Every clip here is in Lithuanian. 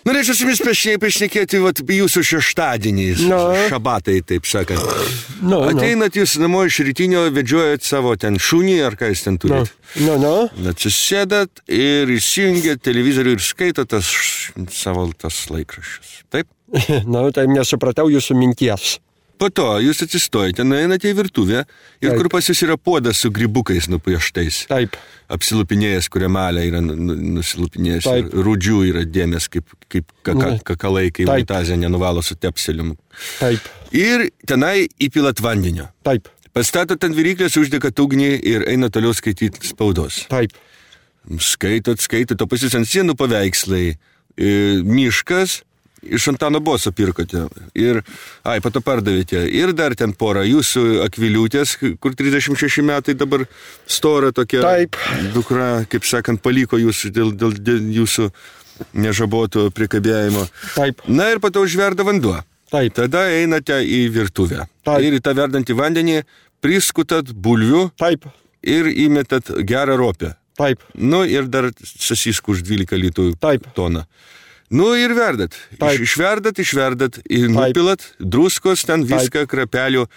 Norėčiau su jumis pašnekėti jūsų šeštadieniais, šabatai, taip sakant. Ateinat jūs namo iš rytinio, vedžiojat savo ten šunį, ar ką jūs ten turit. Atsisėdat ir įsijungiat televizorių ir skaitot savo laikraščius. Taip? Tai nesupratau jūsų minties. Po to jūs atsistojate, nueinate į virtuvę ir kur pas jūs yra puodas su grybukais nupieštais. Taip. Apsilupinėjęs, kuria malė yra nusilupinėjęs. Rūdžių yra dėmės, kaip kakalai, kai unitazė nenuvalo su tepselium. Taip. Ir tenai įpilat vandenio. Taip. Pastatot ant viryklės, uždegat ugnį ir eina toliau skaityti spaudos. Taip. Skaitot, o pas jūs ant sienų paveikslai. Miškas. Iš Antano Boso pirkote ir, pato pardavėte. Ir dar ten porą jūsų akviliūtės, kur 36 metai dabar stora tokia. Taip. Dukra, kaip sakant, paliko jūs dėl jūsų nežaboto prikabėjimo. Taip. Na ir pato užverda vanduo. Taip. Tada einate į virtuvę. Taip. Ir į tą verdantį vandenį priskutat bulvių. Taip. Ir įmetat gerą ropę. Taip. Ir dar sasiskų už 12 litų toną. Ir verdat. Išverdat, ir nupilat druskos, ten viską, krapelių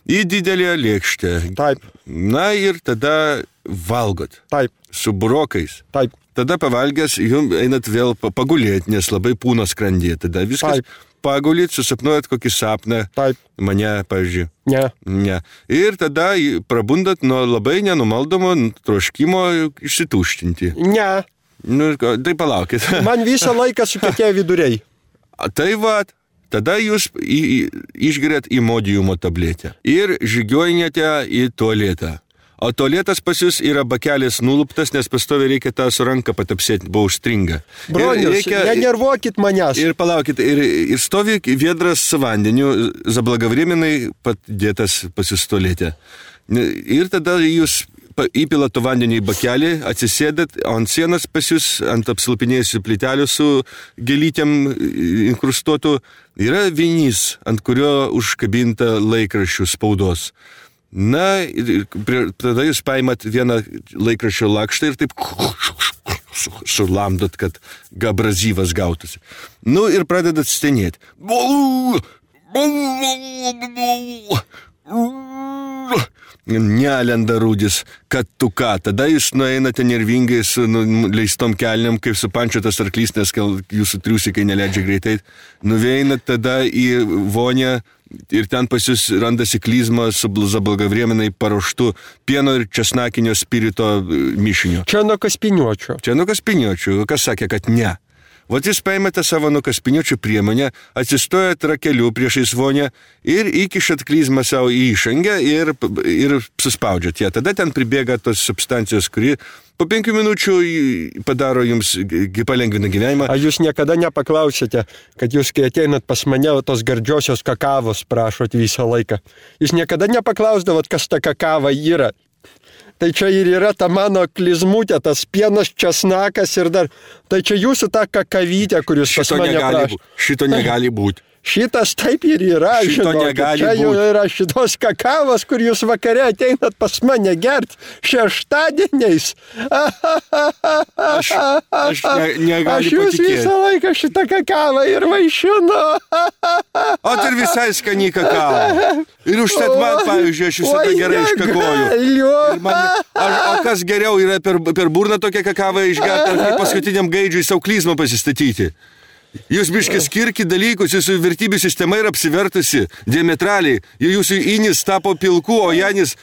į didelę lėkštę. Taip. Na ir tada valgot. Taip. Su burokais. Taip. Tada pavalgęs, jums einat vėl pagulėti, nes labai pūna skrandyje. Tada viskas pagulit, susapnuojat kokį sapną. Taip. Mane, pavyzdžiui. Ne. Ir tada prabundat nuo labai nenumaldomo troškimo išsituštinti. Ne. Tai palaukit. Man visą laiką sukietė viduriai. Tai tada jūs išgeriat imodiumo tabletę ir žygiuojate į tualetą. O tualetas pas jūs yra bakelis nuluptas, nes pastoviai reikia tą su ranką patapsėti, buvo užstringa. Bronius, nenervuokit manęs. Ir palaukit, ir stovi viedras su vandeniu, zablagavreminai padėtas pas jūs tualete. Ir tada jūs įpilat to vandenį į bakelį, atsisėdat, ant sienos pas jūs, ant apsilupinėjusių plytelių su gėlytėm inkrustuotų, yra vinys, ant kurio užkabinta laikraščių spaudos. Na, tada jūs paimat vieną laikraščio lakštą ir taip sulamdot, kad abrazyvas gautųsi. Ir pradedat stenėti. Nelenda rūdis, kad tu ką. Tada jūs nueinate nervingai su leistom kelniam, kaip supančiotas arklys, nes jūsų triusikai neleidžia greitai. Nuveinat tada į vonę ir ten pas jūs randasi klizma su zablagavreminai paruoštų pieno ir česnakinio spirito mišinio. Čia nuo kaspiniuočių. Kas sakė, kad ne? Vat jūs paimate savo nuo kaspiniuočių priemonę, atsistojat rakeliu priešais vonę ir įkišat klizmą savo į išangę ir suspaudžiat ją. Tada ten pribėga tos substancijos, kuri po 5 minučių padaro jums, palengvina gyvenimą. Ar jūs niekada nepaklausėte, kad jūs, kai ateinat pas mane, tos gardžiosios kakavos prašot visą laiką? Jūs niekada nepaklausdavot, kas ta kakava yra? Tai čia ir yra ta mano klizmutė, tas pienas, česnakas ir dar. Tai čia jūsų ta kakavytė, kuris pas mane prašo. Šito negali būti. Šitas taip ir yra, žinokit. Čia jau yra šitos kakavos, kur jūs vakare ateinat pas mane gert šeštadieniais. Aš negaliu Aš jūs patikėti. Visą laiką šitą kakavą ir vaišinu. O tai ir visai skani kakava. Ir užtat man, pavyzdžiui, aš visada gerai iškakoju. O kas geriau yra per burną tokią kakavą išgerti, ar kaip paskutiniam gaidžiui savo klizmą pasistatyti? Jūs biškai skirkit dalykus, jūsų vertybių sistema yra apsivertusi diametraliai. Jūsų inis tapo pilku, o Janis